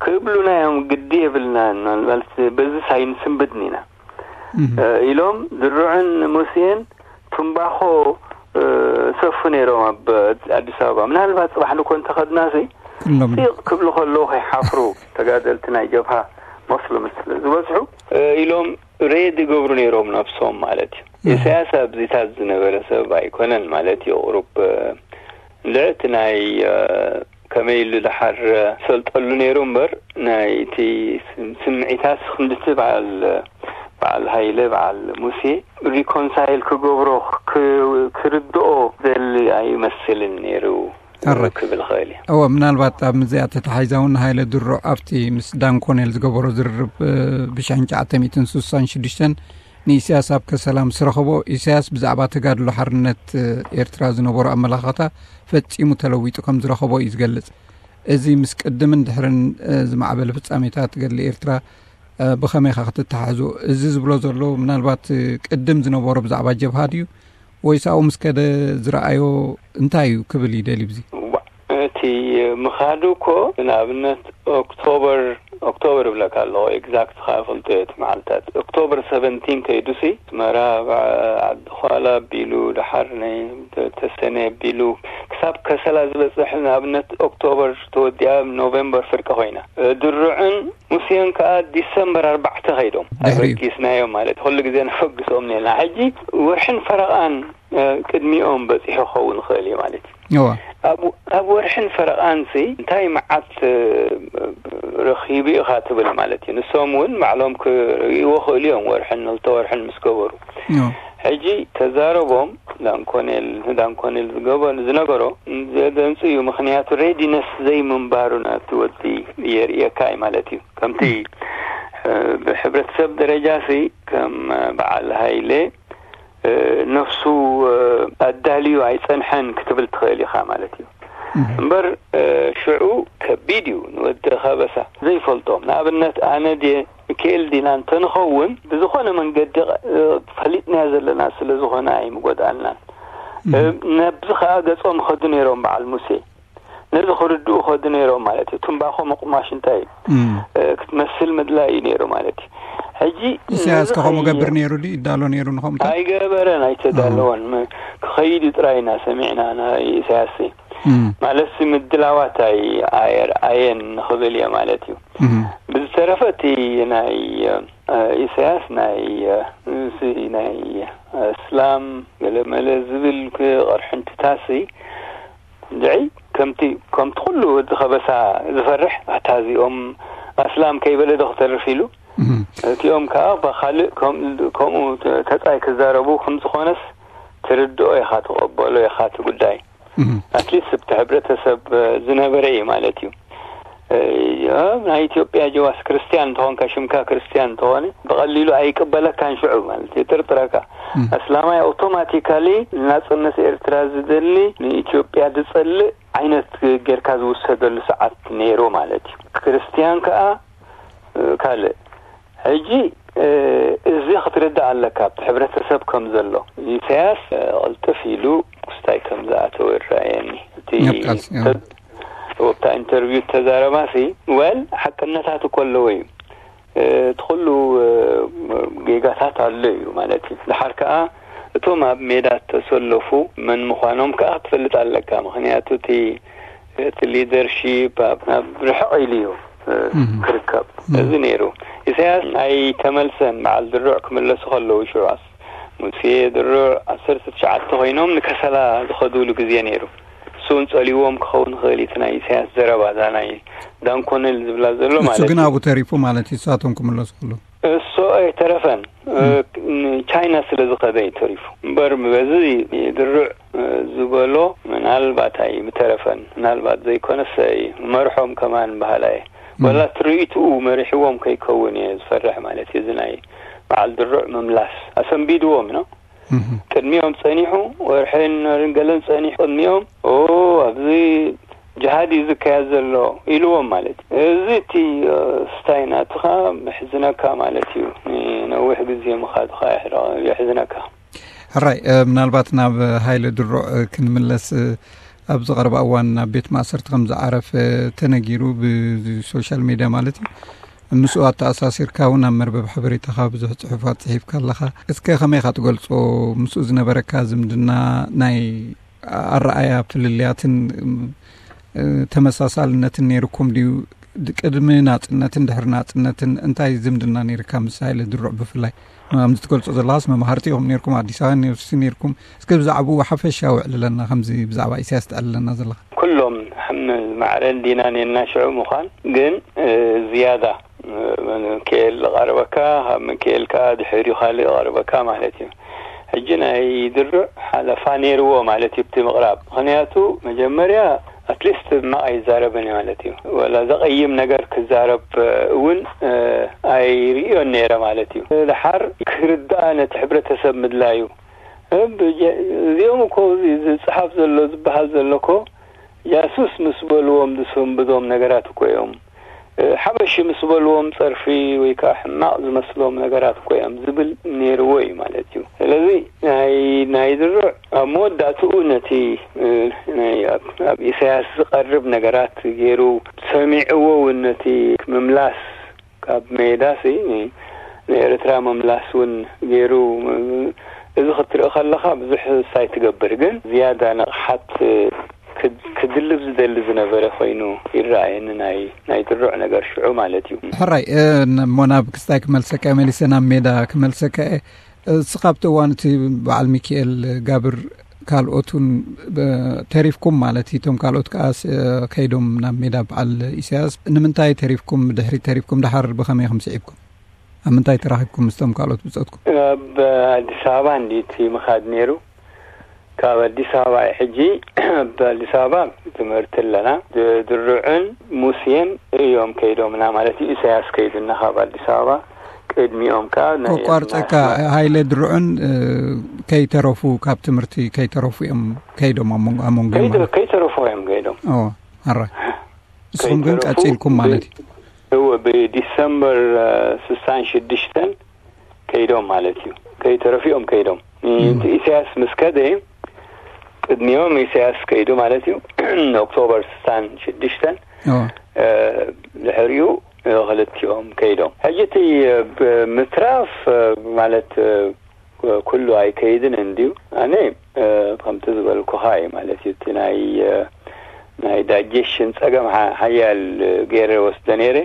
ክብሉና እዮም ግዲ የብልናን ማለት በዚ ሳይንስን ብድን ኢና ኢሎም ድሩዕን ሙሴን ትምባኾ ሰፉ ነይሮም ኣብ ኣዲስ ኣበባ። ምናልባት ፅባሕ ንኮ እንተኸድና ሲ ፂቕ ክብሉ ከለዉ ከይሓፍሩ ተጋደልቲ ናይ ጀብሃ መስሉም ዝበዝሑ ኢሎም ሬድ ይገብሩ ነይሮም ነብሶም ማለት እዩ። ኢሳያስ ኣብዚታት ዝነበረ ሰብ ኣይኮነን ማለት እዩ። ቁሩብ እንድዕቲ ናይ ከመይ ኢሉ ድሓር ሰልጠሉ ነይሩ እምበር ናይ እቲ ስምዒታት ክንድቲ በዓል በዓል ሃይለ በዓል ሙሴ ሪኮንሳይል ክገብሮ ክርድኦ ዘሊ ኣይመስልን ነይሩ። ክብል ኽእል እየ። እወ ምናልባት ኣብ ምዚኣ ተተሓሒዛ እውን ሃይለ ድሮ ኣብቲ ምስ ዳን ኮኔል ዝገበሮ ዝርርብ ብሽሕን ትሽዓተ ሚእትን ስሳን ሽዱሽተን ንኢሳያስ ኣብ ከሰላ ምስ ረኸቦ ኢሳያስ ብዛዕባ ተጋድሎ ሓርነት ኤርትራ ዝነበሮ ኣመላኻታ ፈጺሙ ተለዊጡ ከም ዝረኸቦ እዩ ዝገልጽ። እዚ ምስ ቅድምን ድሕርን ዝማዕበለ ፍጻሜታት ገድሊ ኤርትራ ብኸመይ ኢኻ ክትተሓሕዞ? እዚ ዝብሎ ዘሎ ምናልባት ቅድም ዝነበሮ ብዛዕባ ጀብሃ ድዩ ወይስ ኣብኡ ምስ ከደ ዝረኣዮ እንታይ እዩ ክብል ይደሊ ብዚ? እቲ ምኻዱ እኮ ንኣብነት ኦክቶበር ኦክቶበር እብለካ ኣለኹ፣ ኤግዛክት ኸኣ ፈልጦ እየ እቲ መዓልታት። ኦክቶበር ሰቨንቲን ከይዱሲ ኣስመራ፣ ዓዲ ዃላ ኣቢሉ፣ ደሓር ናይ ተሰነ ኣቢሉ ክሳብ ከሰላ ዝበጽሕ፣ ንኣብነት ኦክቶበር ተወዲኣ ኖቨምበር ፍርቂ ኮይና። ድሩዕን ሙሴን ከኣ ዲሰምበር ኣርባዕተ ከይዶም ኣበጊስናዮም ማለት ኩሉ ግዜ ነፈግሶም ኔና። ሕጂ ወርሕን ፈረቓን ቅድሚኦም በጺሑ ክኸውን ይኽእል እዩ ማለት እዩ። ኣብ ወርሕን ፈረቓንሲ እንታይ መዓት ረኺቡ ኢኻ ትብል ማለት እዩ። ንሶም እውን ባዕሎም ክርእይዎ ክእሉ እዮም፣ ወርሕን ክልተ ወርሕን ምስ ገበሩ። ሕጂ ተዛረቦም ዳንኮኔል ዳንኮኔል ዝገበ ዝነገሮ ዘደንጽ እዩ። ምኽንያቱ ሬዲነስ ዘይምንባሩ ናብቲ ወዲ የርእየካ እዩ ማለት እዩ። ከምቲ ብሕብረተሰብ ደረጃ ሲ ከም በዓል ሃይለ ነፍሱ ኣዳልዩ ኣይጸንሐን ክትብል ትኽእል ኢኻ ማለት እዩ። እምበር ሽዑ ከቢድ እዩ ንወዲ ከበሳ ዘይፈልጦም። ንኣብነት ኣነ ድየ ሚካኤል ዲና እንተንኸውን ብዝኾነ መንገዲ ፈሊጥናዮ ዘለና ስለ ዝኾነ ኣይምጎድኣልናን። ነብዚ ከኣ ገጾም ኸዱ ነይሮም በዓል ሙሴ ነዚ ክርድኡ ኸዱ ነይሮም ማለት እዩ። ትምባኾ ምቕማሽ እንታይ እዩ ክትመስል ምድላይ እዩ ነይሩ ማለት እዩ። ሕጂ ኢሳያስ ከኸምኡ ገብር ነይሩ ድዩ? ይዳሎ ነይሩ ንኸምኡ? ኣይገበረን፣ ኣይተዳለወን። ክኸይድ እዩ ጥራይ ኢና ሰሚዕና ናይ ኢሳያስ። ማለትሲ ምድላዋት ኣየርኣየን ንኽብል እየ ማለት እዩ። ብዝተረፈ እቲ ናይ ኢሳያስ ናይ እስላም ገለመለ ዝብል ቅርሕንትታሲ ድዒ ከምቲ ከምቲ ኩሉ ወዲ ከበሳ ዝፈርሕ ኣታ እዚኦም ኣስላም ከይበለ ዶ ክተርፍ ኢሉ እቲኦም ከዓ ብካልእ ከምኡ ተፃይ ክዛረቡ ከምዝኾነስ ትርድኦ ኢኻ ትቐበሎ ኢኻ እቲ ጉዳይ ኣትሊስት ኣብቲ ሕብረተሰብ ዝነበረ እዩ ማለት እዩ። ናይ ኢትዮጵያ ጀዋስ ክርስትያን እንተኾንካ ሽምካ ክርስትያን እንተኾነ ብቐሊሉ ኣይቅበለካን ሽዑ ማለት እዩ ጥርጥረካ ኣስላማይ ኣውቶማቲካሊ ናፅነት ኤርትራ ዝደሊ ንኢትዮጵያ ዝፀልእ ዓይነት ጌርካ ዝውሰደሉ ሰዓት ነይሩ ማለት እዩ። ክርስትያን ከዓ ካልእ ሕጂ እዚ ክትርዳእ ኣለካ ኣብቲ ሕብረተሰብ ከም ዘሎ ኢሳያስ ቅልጥፍ ኢሉ ክስታይ ከም ዝኣተወ ይረኣየኒ። እቲ ወብታ ኢንተርቪው ተዛረባሲ ወል ሓቅነታት እኮ ኣለዎ እዩ። እቲ ኩሉ ጌጋታት ኣሎ እዩ ማለት እዩ። ድሓር ከዓ እቶም ኣብ ሜዳ ተሰለፉ መን ምዃኖም ከዓ ክትፈልጥ ኣለካ። ምክንያቱ እቲ እቲ ሊደርሺፕ ናብ ርሕቕ ኢሉ እዩ ክርከብ። እዚ ነይሩ ኢሳያስ ኣይተመልሰን። በዓል ድሩዕ ክምለሱ ከለዉ ሽዑ ሙሴ ድሩዕ ዓሰርተ ትሽዓተ ኮይኖም ንከሰላ ዝኸዱሉ ግዜ ነይሩ። እሱ እውን ጸልይዎም ክኸውን ይኽእል እቲ ናይ ኢሳያስ ዘረባ እዛ ናይ ዳንኮነል ዝብላ ዘሎ እሱ ማለት ግን እዩ። ኣብኡ ተሪፉ ማለት እዩ። እሳቶም ክምለሱ ከለዉ እሱ ኣይተረፈን። ቻይና ስለ ዝኸደ እዩ ተሪፉ እምበር በዚ ድሩዕ ዝበሎ ምናልባት ኣይምተረፈን። ምናልባት ዘይኮነስ ኣይመርሖም ከማን በሃላ እየ። ወላ ትርኢትኡ መሪሕዎም ከይከውን እየ ዝፈርሕ ማለት እዩ። እዚ ናይ በዓል ድሩዕ ምምላስ ኣሰንቢድዎም ነው። ቅድሚኦም ጸኒሑ ወርሕን ወርን ገለን ጸኒሑ ቅድሚኦም ኦ ኣብዚ ጅሃድ እዩ ዝካየድ ዘሎ ኢልዎም ማለት እዩ። እዚ እቲ ስታይ ናትኻ ምሕዝነካ ማለት እዩ። ንነዊሕ ግዜ ምኻድኻ የሕዝነካ። ሕራይ ምናልባት ናብ ሃይለ ድሩዕ ክንምለስ ኣብዚ ቀረባ እዋን ናብ ቤት ማእሰርቲ ከም ዝዓረፈ ተነጊሩ ብሶሻል ሜድያ ማለት እዩ። ምስኡ ኣተኣሳሲርካ እውን ኣብ መርበብ ሓበሬታኻ ብዙሕ ጽሑፋት ጽሒፍካ ኣለኻ። እስከ ከመይ ኢኻ ትገልጾ? ምስኡ ዝነበረካ ዝምድና ናይ ኣረኣያ ፍልልያትን ተመሳሳልነትን ነይርኩም ድዩ? ቅድሚ ናጽነትን ድሕሪ ናጽነትን እንታይ ዝምድና ነይርካ ምስ ሃይለ ድሩዕ ብፍላይ? ከምዚ ትገልጾ ዘለኻስ መማህርቲ ኢኹም ነይርኩም፣ ኣዲስ ኣበባ ዩኒቨርሲቲ ነይርኩም። እስከ ብዛዕባኡ ሓፈሻዊ ኣዕልለና፣ ከምዚ ብዛዕባ ኢሳያስ ተዕልለና ዘለኻ። ኩሎም ሓምል ማዕረን ዲናን የናሽዑ ምዃን ግን ዝያዳ ምክኤል ዝቐርበካ ካብ ምክኤል ከዓ ድሕሪኡ ካልእ ይቐርበካ ማለት እዩ። ሕጂ ናይ ድሩዕ ሓለፋ ነይርዎ ማለት እዩ ብቲ ምቕራብ። ምኽንያቱ መጀመርያ ኣትሊስት ሕማቕ ኣይዛረብን እዩ ማለት እዩ። ወላ ዘቐይም ነገር ክዛረብ እውን ኣይርእዮን ነይረ ማለት እዩ። ድሓር ክርዳእ ነቲ ሕብረተሰብ ምድላዩ እዚኦም እኮ ዝፅሓፍ ዘሎ ዝበሃል ዘሎ እኮ ጃሱስ ምስ በልዎም ዝስንብዶም ነገራት እኮ እዮም። ሓበሽ ምስ በልዎም ጸርፊ ወይ ከዓ ሕማቕ ዝመስሎም ነገራት እኮ እዮም ዝብል ነይርዎ እዩ ማለት እዩ። ስለዚ ናይ ናይ ድሩዕ ኣብ መወዳእትኡ ነቲ እ፣ ናይ ኣብ ኣብ ኢሳያስ ዝቐርብ ነገራት ገይሩ ሰሚዕዎ እውን ነቲ ምምላስ ካብ ሜዳ ሲ ንኤርትራ ምምላስ እውን ገይሩ እዚ ክትርኢ ከለኻ ብዙሕ ሳይ ትገብር ግን ዝያዳ ንቕሓት ክድልብ ዝደሊ ዝነበረ ኮይኑ ይረኣየኒ ናይ ናይ ድሩዕ ነገር ሽዑ ማለት እዩ። ሕራይ እሞ ናብ ክስታይ ክመልሰካ መሊሰ ናብ ሜዳ ክመልሰካ እየ። እስኻ ኣብቲ እዋን እቲ በዓል ሚካኤል ጋብር ካልኦት እውን ተሪፍኩም ማለት እዩ። እቶም ካልኦት ከዓ ከይዶም ናብ ሜዳ በዓል ኢሳያስ ንምንታይ ተሪፍኩም? ድሕሪ ተሪፍኩም ደሓር ብኸመይ ኢኹም ስዒብኩም? ኣብ ምንታይ ተራኺብኩም ምስቶም ካልኦት ብጾትኩም? ኣብ ኣዲስ ኣበባ እንዲ እቲ ምኻድ ነይሩ። ካብ ኣዲስ ኣበባ እዩ ሕጂ ኣብ ኣዲስ ኣበባ ትምህርቲ ኣለና። ድሩዕን ሙስየን እዮም ከይዶምና ማለት እዩ። ኢሳያስ ከይዱና ካብ ኣዲስ ኣበባ ቅድሚኦም ከዓ ናይ ቆቋርፀካ። ሃይለ ድሩዕን ከይተረፉ ካብ ትምህርቲ ከይተረፉ እዮም ከይዶም ኣብ መንጎ ኣብ መንጎ ከይተ- ማለት ከይተረፉ እዮም ከይዶም። ኦ ኣራይ ንስኹም ግን ከይተረፉ ቀፂልኩም ማለት እዩ። እወ ብዲሰምበር ስሳን ሽዱሽተን ከይዶም ማለት እዩ። ከይተረፊኦም ከይዶም እቲ ኢሳያስ ምስ ከደ ቅድሚኦም ኢሳያስ ከይዱ ማለት እዩ። ኦክቶበር ስሳን ሽዱሽተን እዎ። ድሕሪኡ ክልቲኦም ከይዶም። ሕጂ እቲ ምትራፍ ማለት ኩሉ ኣይከይድን እንድዩ። ኣነ ከምቲ ዝበልኩኻ እዩ ማለት እዩ። እቲ ናይ ናይ ዳይጀሽን ጸገም ሓያል ገይረ ወስደ ነይረ።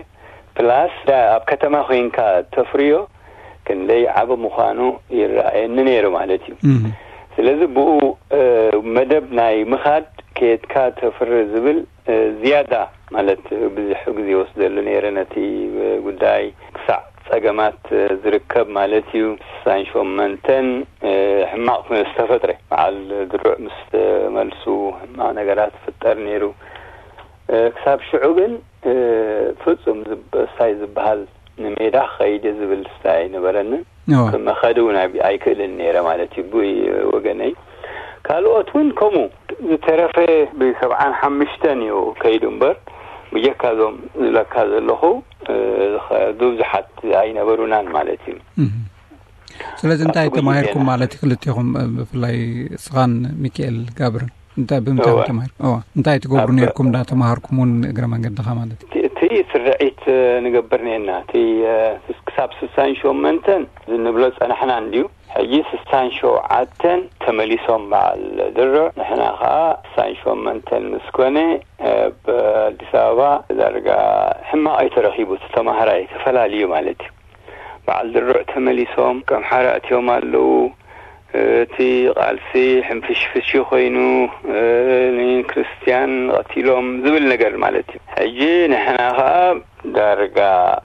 ፕላስ ኣብ ከተማ ኮይንካ ተፍርዮ ክንደይ ዓቢ ምዃኑ ይረኣየኒ ነይሩ ማለት እዩ። ስለዚ ብኡ መደብ ናይ ምኻድ ከየድካ ተፍሪ ዝብል ዝያዳ ማለት ብዙሕ ግዜ ወስደሉ ነይረ ነቲ ጉዳይ ክሳዕ ጸገማት ዝርከብ ማለት እዩ። ስሳን ሸመንተን ሕማቕ ዝተፈጥረ በዓል ድሩዕ ምስ ተመልሱ ሕማቕ ነገራት ፍጠር ነይሩ። ክሳብ ሽዑ ግን ፍጹም ሳይ ዝበሃል ንሜዳ ክኸይድ ዝብል ስታይ ኣይነበረንን። ክመኸድ እውን ኣይክእልን ነይረ ማለት እዩ ብወገነይ። ካልኦት እውን ከምኡ ዝተረፈ ብሰብዓን ሓሙሽተን እዩ ከይዱ እምበር ብጀካ እዞም ዝብለካ ዘለኹ ብዙሓት ኣይነበሩናን ማለት እዩ። ስለዚ እንታይ ተማሂርኩም ማለት እዩ ክልቲኹም ብፍላይ ስኻን ሚካኤል ጋብርን? እንታይ ብምንታይ ተማሂርኩም? እንታይ ትገብሩ ነርኩም? እንዳተማሃርኩም እውን እግረ መንገድኻ ማለት እዩ። እቲ ስርዒት ንገብር ነርና። እቲ ክሳብ ስሳን ሸመንተን ንብሎ ጸናሕና እንድዩ። ሕጂ ስሳን ሸውዓተን ተመሊሶም በዓል ድርዕ። ንሕና ኸዓ ስሳን ሸመንተን ምስ ኮነ ኣብ ኣዲስ ኣበባ ዳርጋ ሕማቕ እዩ ተረኺቡ። እቲ ተማሃራይ ተፈላልዩ ማለት እዩ። በዓል ድርዕ ተመሊሶም ከም ሓራ እትዮም ኣለዉ። እቲ ቃልሲ ሕንፍሽፍሽ ኮይኑ ንክርስትያን ቀቲሎም ዝብል ነገር ማለት እዩ። ሕጂ ንሕና ኸዓ ዳርጋ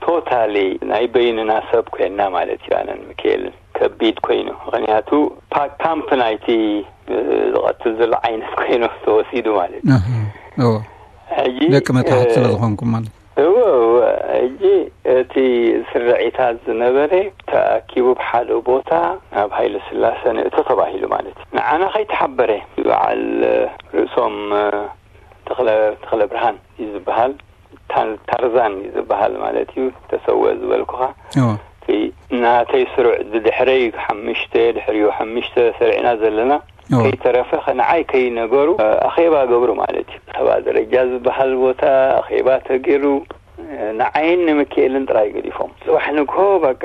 ቶታሊ ናይ በይንና ሰብ ኮይንና ማለት እዩ። ኣነን ሚካኤልን ከቢድ ኮይኑ ምክንያቱ ፓክ ካምፕ ናይቲ ዝቐትል ዘሎ ዓይነት ኮይኑ ተወሲዱ ማለት እዩ። ሕጂ ደቂ መታሕት ስለ ዝኾንኩም ማለት እወ እወ። ሕጂ እቲ ስርዒታት ዝነበረ ተኣኪቡ ብሓደ ቦታ ናብ ሃይለ ስላሰ ንእቶ ተባሂሉ ማለት እዩ። ንዓና ከይተሓበረ በዓል ርእሶም ተኽለ ተኽለ ብርሃን እዩ ዝበሃል። ታን- ታርዛን እዩ ዝበሃል ማለት እዩ። ተሰወ ዝበልኩኻ እወ። እቲ ናተይ ስሩዕ ብድሕረይ ሓሙሽተ ድሕሪኡ ሓሙሽተ ሰሪዕና ዘለና እወ። ከይተረፈ ንዓይ ከይነገሩ ኣኼባ ገብሩ ማለት እዩ። ሰብኣ ደረጃ ዝበሃል ቦታ ኣኼባ ተገይሩ ንዓይን ንምክኤልን ጥራይ ገዲፎም። ጽባሕ ንግሆ በቃ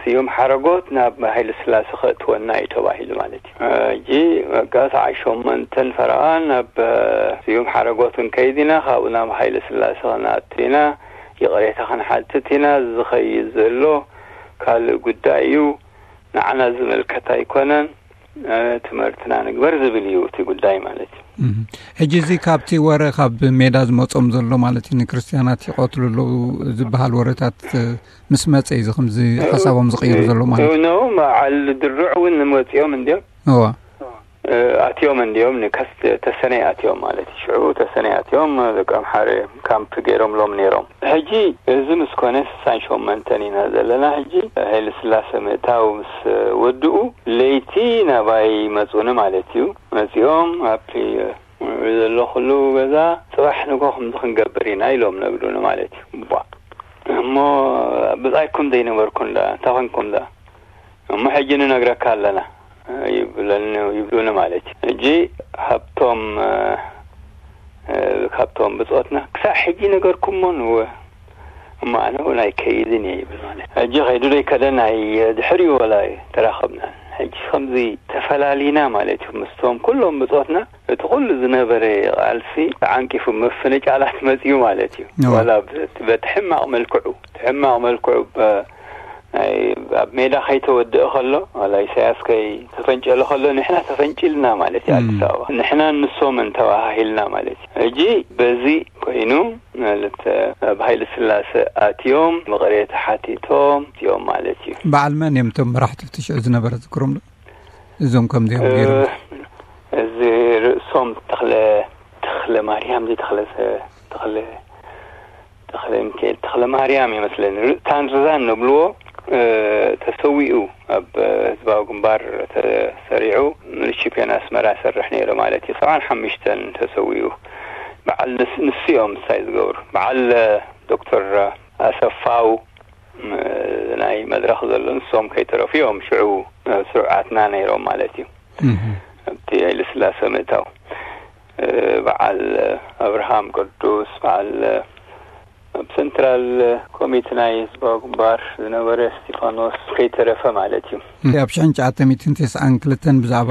ስዩም ሓረጎት ናብ ሃይለ ስላሴ ከእትወና እዩ ተባሂሉ ማለት እዩ። ሕጂ በቃ ሰዓት ሸሞንተን ፈረቓ ናብ ስዩም ሓረጎት ክንከይድ ኢና፣ ካብኡ ናብ ሃይለ ስላሴ ክንኣቱ ኢና፣ ይቕሬታ ክንሓትት ኢና። ዝኸይድ ዘሎ ካልእ ጉዳይ እዩ። ንዓና ዝምልከት ኣይኮነን። ትምህርትና ንግበር ዝብል እዩ እቲ ጉዳይ ማለት እዩ። ሕጂ እዚ ካብቲ ወረ ካብ ሜዳ ዝመጾም ዘሎ ማለት እዩ ንክርስትያናት ይቐትሉ ኣለዉ ዝበሃል ወረታት ምስ መጸ እዩ ከምዚ ሓሳቦም ዝቕይሩ ዘሎ ማለት እዩ። ኖ በዓል ድሩዕ እውን መጺኦም እንዲዮም። እዋ ኣትዮም እንዲዮም ንከስ ተሰነይ ኣትዮም ማለት እዩ። ሽዑ ተሰነይ ኣትዮም ደቂ ኣምሓረ ካምፕ ገይሮምሎም ነይሮም። ሕጂ እዚ ምስ ኮነ ስሳን ሸሞንተን ኢና ዘለና። ሕጂ ሃይለ ስላሴ ምእታው ምስ ወድኡ ለይቲ ናባይ መጹኒ ማለት እዩ። መጺኦም ኣብቲ ዘለኹሉ ገዛ ጽባሕ ንግሆ ከምዚ ክንገብር ኢና ኢሎም ነግሩኒ ማለት እዩ። ቧ እሞ ብጻይኩም ዘይነበርኩም ደኣ እንታይ ኮንኩም ደኣ? እሞ ሕጂ ንነግረካ ኣለና ይብለኒ፣ ይብሉኒ ማለት እዩ። ሕጂ ካብቶም፣ እ፣ ካብቶም ብጾትና ክሳዕ ሕጂ ነገርኩሞ ንወ-፣ እሞ ኣነ እውን ኣይከይድን እየ ይብል ማለት እዩ። ሕጂ ከይዱ ዘይከደ ናይ ድሕሪኡ ወላ ተራኸብና። ሕጂ ከምዚ ተፈላሊና ማለት እዩ ምስቶም ኩሎም ብጾትና። እቲ ኩሉ ዝነበረ ቃልሲ ተዓንቂፉ፣ ምፍንጫላት መጺኡ ማለት እዩ። እወ። ዋላ ብ-፣ በቲ ሕማቕ መልክዑ፣ እቲ ሕማቕ መልክዑ ብ-፣ ናይ፣ ኣብ ሜዳ ከይተወድአ ከሎ፣ ዋላ ኢሳያስ ከይተፈንጨለ ከሎ፣ ንሕና ተፈንጭልና ማለት እዩ። እም። ኣዲስ ኣበባ ንሕናን ንሶምን ተባሃሂልና ማለት እዩ። ሕጂ በዚ ኮይኑ ማለት፣ ኣብ ሃይለ ስላሴ ኣትዮም፣ ምቕሬታ ሓቲቶም እዮም ማለት እዩ። በዓል መን እዮም እቶም መራሕቲ እቲ ሽዑ ዝነበረ ዝክሮም ዶ? እዞም ከምዚኦም እ፣ ገይሮም። እዚ ርእሶም ተኽለ፣ ተኽለ ማርያም፣ እዚ ተኽለ፣ ተኽለ፣ ተኽለ ሚካኤል፣ ተኽለ ማርያም ይመስለኒ። ር-፣ ታንዛን ንብልዎ፣ እ፣ ተሰዊኡ፣ ኣብ ህዝባዊ ግንባር ተሰሪዑ፣ ሚሊሽፔን ኣስመራ ይሰርሕ ነይሩ ማለት እዩ። ሰብዓን ሓሙሽተን ተሰዊኡ። በዓል ንስ-፣ ንሱ እዮም ምሳይ ዝገብሩ። በዓል ዶክተር ኣሰፋው፣ ም-፣ ናይ መድረኽ ዘሎ፣ ንሶም ከይተረፉ እዮም ሽዑ፣ ስሩዓትና ነይሮም ማለት እዩ። እህ። ኣብቲ ሃይለ ስላሴ ምእታው፣ እ፣ በዓል ኣብርሃም ቅዱስ፣ በዓል ኣብ ሰንትራል ኮሚቴ ናይ ህዝባዊ ግንባር ዝነበረ እስጢፋኖስ ከይተረፈ ማለት እዩ። ኣብ ሽሕን ትሽዓተ ሚእትን ተስዓን ክልተን ብዛዕባ፣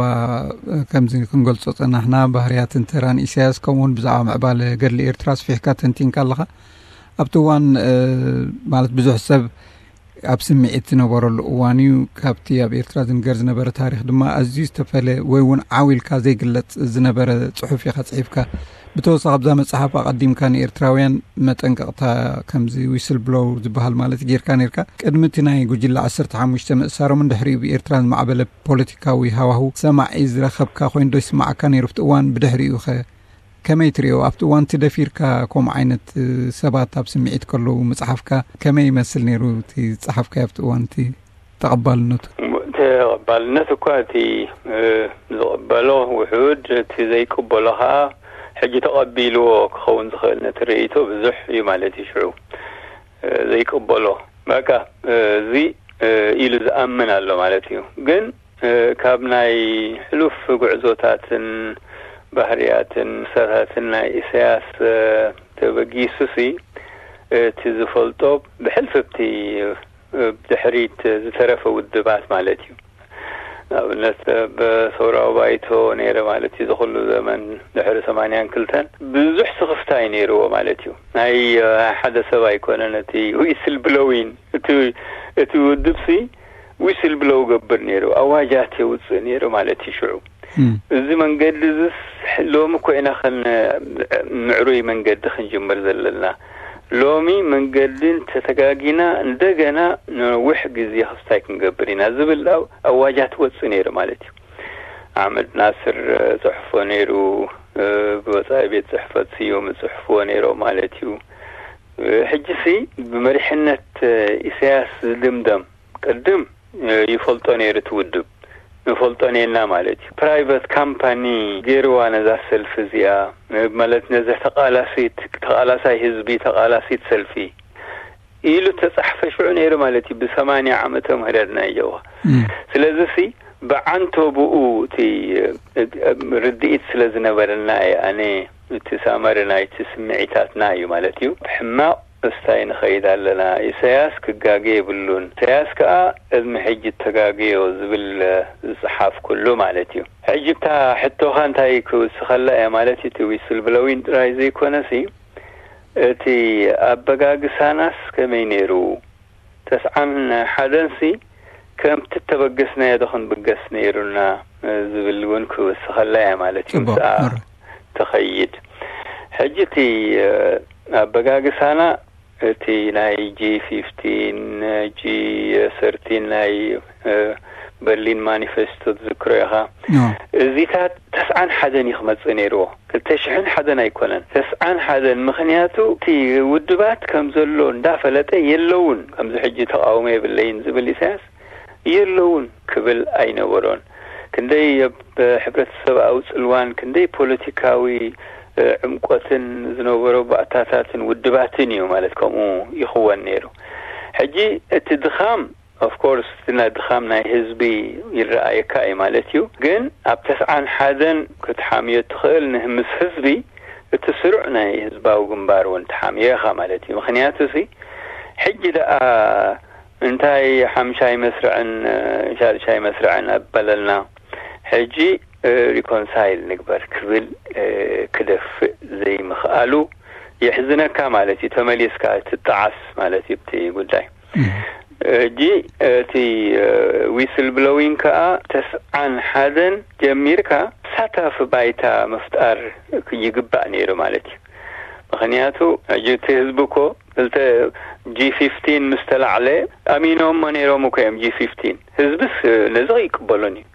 እ፣ ከምዚ ክንገልጾ ጸናሕና፣ ባህርያትን ተራን ኢሳያስ፣ ከምኡውን ብዛዕባ ምዕባለ ገድሊ ኤርትራ ኣስፊሕካ ተንቲንካ ኣለኻ። ኣብቲ እዋን፣ እ፣ ማለት ብዙሕ ሰብ ኣብ ስምዒት ዝነበረሉ እዋን እዩ። ካብቲ ኣብ ኤርትራ ዝንገር ዝነበረ ታሪኽ ድማ ኣዝዩ ዝተፈለ ወይ እውን ዓው ኢልካ ዘይግለጽ ዝነበረ ጽሑፍ ኢኻ ጽሒፍካ። ብተወሳኺ ኣብዛ መጽሓፍ ኣቐዲምካ ንኤርትራውያን መጠንቀቕታ፣ ከምዚ ዊስል ብሎው ዝበሃል ማለት ጌርካ ነርካ። ቅድሚ እቲ ናይ ጉጅለ ዓሰርተ ሓሙሽተ ምእሳሮምን ድሕሪኡ ብኤርትራ ዝማዕበለ ፖለቲካዊ ሃዋሁ ሰማዒ ዝረኸብካ ኮይኑ ዶ ይስምዓካ ነይሩ ኣብቲ እዋን? ብድሕሪኡ ኸ ከመይ ትርእዮ? ኣብቲ እዋን እቲ ደፊርካ ከምኡ ዓይነት፣ እ፣ ሰባት ኣብ ስምዒት ከለዉ ምጽሓፍካ ከመይ ይመስል ነይሩ? እቲ ዝጸሓፍካዮ ኣብቲ እዋን እቲ ተቐባልነቱ? ተቐባልነት እኳ እቲ፣ እ፣ ዝቕበሎ ውሑድ፣ እቲ ዘይቅበሎ ኸኣ ሕጂ ተቐቢልዎ ክኸውን ዝኽእል ነቲ ርእይቶ ብዙሕ እዩ ማለት እዩ። ሽዑ፣ እ፣ ዘይቅበሎ በቃ፣ እ፣ እዚ፣ እ፣ ኢሉ ዝኣምን ኣሎ ማለት እዩ። ግን እ፣ ካብ ናይ ሕሉፍ ጉዕዞታትን ባህርያትን ክሳታትን ናይ ኢሳያስ፣ እ፣ ተበጊሱሲ፣ እቲ ዝፈልጦ ብሕልፍቲ፣ እ፣ ብድሕሪት ዝተረፈ ውድባት ማለት እዩ። ንኣብነት፣ እ፣ ብሰውራዊ ባይቶ ነይረ ማለት እዩ። ዝኹሉ ዘመን ድሕሪ ሰማንያን ክልተን ብዙሕ ስኽፍታ እዩ ነይርዎ ማለት እዩ። ናይ፣ እ፣ ሓደ ሰብ ኣይኮነን እቲ ዊስል ብሎዊን። እቲ፣ እቲ ውድብሲ ዊስል ብሎው ገብር ነይሩ፣ ኣዋጃት የውፅእ ነይሩ ማለት እዩ። ሽዑ እም። እዚ መንገዲ እዚስ ሎሚ እኮ ኢና ከን ምዕሩይ መንገዲ ክንጅምር ዘለና። ሎሚ መንገዲ እንተተጋጊና እንደገና ነዊሕ ግዜ ክስታይ ክንገብር ኢና ዝብል ኣው-፣ ኣዋጃት ወፅእ ነይሩ ማለት እዩ። ኣሕመድ ናስር፣ እ፣ ጽሕፎ ነይሩ፣ እ፣ ብወጻኢ ቤት ጽሕፈት ስዩም ጽሕፍዎ ነይሮም ማለት እዩ። እ፣ ሕጂሲ ብመሪሕነት፣ እ፣ ኢሳያስ ዝድምደም ቅድም፣ እ፣ ይፈልጦ ነይሩ እቲ ውድብ። ንፈልጦ ኔና ማለት እዩ። ፕራይቨት ካምፓኒ ገይርዋ ነዛ ሰልፊ እዚኣ፣ እ፣ ማለት ነዚ ተቓላሲት፣ ተቓላሳይ ህዝቢ፣ ተቓላሲት ሰልፊ ኢሉ ተጻሕፈ ሽዑ ነይሩ ማለት እዩ። ብሰማንያ ዓመተ ምህረት ናይ ጀዋ። እም። ስለዚሲ ብዓንተብኡ እቲ፣ እ፣ እ፣ ርድኢት ስለ ዝነበረና እየ ኣነ እቲ ሳመሪ ናይቲ ስምዒታትና እዩ ማለት እዩ። ብሕማቕ እስታይ ንኸይድ ኣለና። ኢሳያስ ክጋገ የብሉን። ኢሳያስ ከኣ ቅድሚ ሕጂ እተጋገዮ ዝብል፣ እ፣ ዝጸሓፍኩሉ ማለት እዩ። ሕጂ እታ ሕቶኻ እንታይ ክውስኸላ እየ ማለት እዩ፣ እቲ ዊስል ብሎዊን ጥራይ ዘይኮነሲ፣ እቲ ኣበጋግሳናስ ከመይ ነይሩ? ተስዓን ሓደንሲ ከምቲ እተበገስናዮ ዶ ክንብገስ ነይሩና? ዝብል እውን ክውስኸላ እያ ማለት እዩ። ጽቡቕ፣ ምስኣ ምር። ትኸይድ። ሕጂ እቲ፣ እ፣ ኣበጋግሳና እቲ ናይ ጂ ፊፍቲን፣ ጂ ሰርቲን ናይ፣ እ፣ በርሊን ማኒፌስቶ ትዝክሮ ኢኻ። ኖ። እዚታት ተስዓን ሓደን እዩ ክመጽእ ነይርዎ። ክልተ ሽሕን ሓደን ኣይኮነን፣ ተስዓን ሓደን። ምኽንያቱ እቲ ውድባት ከም ዘሎ እንዳፈለጠ የለውን፣ ከምዚ ሕጂ ተቃውሞ የብለይን ዝብል ኢሳያስ የለውን ክብል ኣይነበሮን። ክንደይ ኣብ ሕብረተሰብኣዊ ጽልዋን ክንደይ ፖለቲካዊ ዕምቆትን ዝነበሮ ባእታታትን ውድባትን እዩ ማለት ከምኡ ይኽወን ነይሩ። ሕጂ እቲ ድኻም ኦፍኮርስ እቲ ናይ ድኻም ናይ ህዝቢ ይረኣየካ እዩ ማለት እዩ። ግን ኣብ ተስዓን ሓደን ክትሓምዮ ትኽእል ንህምስ ህዝቢ እቲ ስሩዕ ናይ ህዝባዊ ግንባር እውን ትሓምዮ ኢኻ ማለት እዩ። ምኽንያቱ ሲ ሕጂ ደኣ እንታይ ሓምሻይ መስርዕን ሻድሻይ መስርዕን ኣበለልና ሕጂ ሪኮንሳይል ንግበር ክብል ክደፍእ ዘይምኽኣሉ የሕዝነካ ማለት እዩ። ተመሊስካ ትጠዓስ ማለት እዩ እቲ ጉዳይ። ሕጂ እቲ ዊስል ብሎዊንግ ከዓ ተስዓን ሓደን ጀሚርካ ሳታፊ ባይታ ምፍጣር ይግባእ ነይሩ ማለት እዩ። ምኽንያቱ ሕጂ እቲ ህዝቢ እኮ ክልተ ጂ ፊፍቲን ምስ ተላዕለ ኣሚኖሞ ነይሮም እኮ እዮም። ጂ ፊፍቲን ህዝብስ ነዚ ኣይቅበሎን እዩ።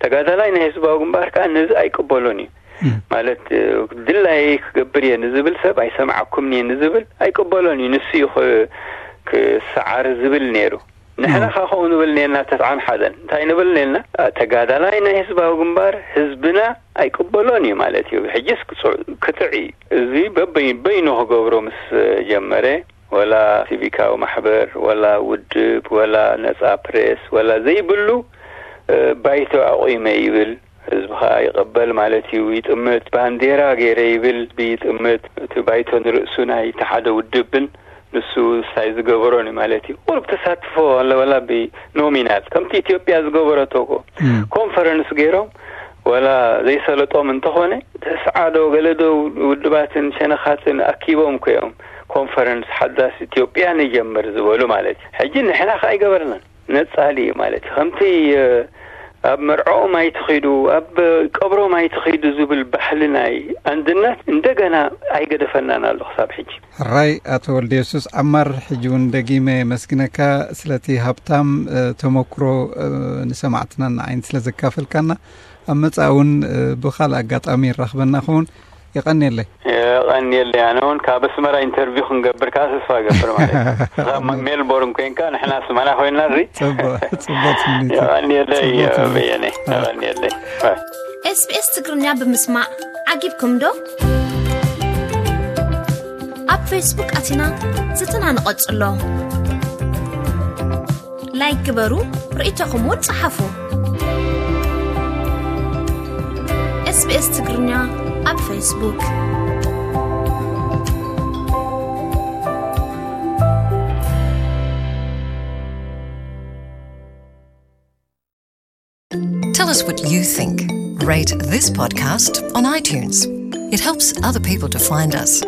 ተጋዳላይ ናይ ህዝባዊ ግንባር ከዓ ነዚ ኣይቅበሎን እዩ። ማለት ድላይ ክገብር እየ ንዝብል ሰብ ኣይሰማዕኩምን እየ ንዝብል ኣይቅበሎን እዩ። ንሱ እዩ ክሰዓር ዝብል ነይሩ። ንሕና ካ ከምኡ ንብል ኔና ተስዓን ሓደን እንታይ ንብል ኔና? ተጋዳላይ ናይ ህዝባዊ ግንባር ህዝብና ኣይቅበሎን እዩ ማለት እዩ። ሕጅስ ክትዕ እዩ። እዚ በበይኑ ክገብሮ ምስ ጀመረ ወላ ሲቪካዊ ማሕበር ወላ ውድብ ወላ ነፃ ፕሬስ ወላ ዘይብሉ ባይቶ ኣቑመ ይብል። ህዝቢ ከዓ ይቕበል ማለት እዩ። ይጥምት። ባንዴራ ገይረ ይብል። ህዝቢ ይጥምት። እቲ ባይቶ ንርእሱ ናይ እቲ ሓደ ውድብን ንሱ ሳይ ዝገበሮን እዩ ማለት እዩ። ቁሩብ ተሳትፎ ኣለወላ ብኖሚናል ከምቲ ኢትዮጵያ ዝገበረቶ እኮ ኮንፈረንስ ገይሮም ወላ ዘይሰለጦም እንተኾነ ተስዓዶ ገለዶ ውድባትን ሸነኻትን ኣኪቦም እኮ እዮም ኮንፈረንስ ሓዳስ ኢትዮጵያ ንጀምር ዝበሉ ማለት እዩ። ሕጂ ንሕና ከ ኣይገበርናን። ነጻሊ እዩ ማለት እዩ። ከምቲ ኣብ መርዕኦም ኣይትኺዱ ኣብ ቀብሮም ኣይትኺዱ ዝብል ባህሊ ናይ ኣንድነት እንደገና ኣይገደፈናን ኣሎ ክሳብ ሕጂ። ሕራይ ኣቶ ወልደ የሱስ ዓማር፣ ሕጂ እውን ደጊመ የመስግነካ ስለቲ ሃብታም ተመክሮ ንሰማዕትናን ንዓይን ስለ ዘካፈልካና። ኣብ መጻእ እውን ብኻልእ ኣጋጣሚ ይራኽበና ኸውን። የቐንየለይ። የቐንየለይ። ኣነ እውን ካብ ኣስመራ ኢንተርቪው ክንገብር ከዓ ተስፋ እገብር ማለት እዩ። ካብ ሜልቦርን ኮይንካ ንሕና ኣስመራ ኮይና እዚ ጽቡቕ። ጽቡቕ ትምኒት። የቐንየለይ። ጽቡቕ ትምኒት። በየነ። የቐንየለይ። ኤስቢኤስ ትግርኛ ብምስማዕ ዓጊብኩም ዶ? ኣብ ፌስቡክ ኣቲና ዝትና ንቐጽሎ። ላይክ ግበሩ፣ ርእይቶኹም እውን ጸሓፉ። SBS ትግርኛ ኣብ ፌስቡክ። Tell us what you think. Rate this podcast on iTunes. It helps other people to find us.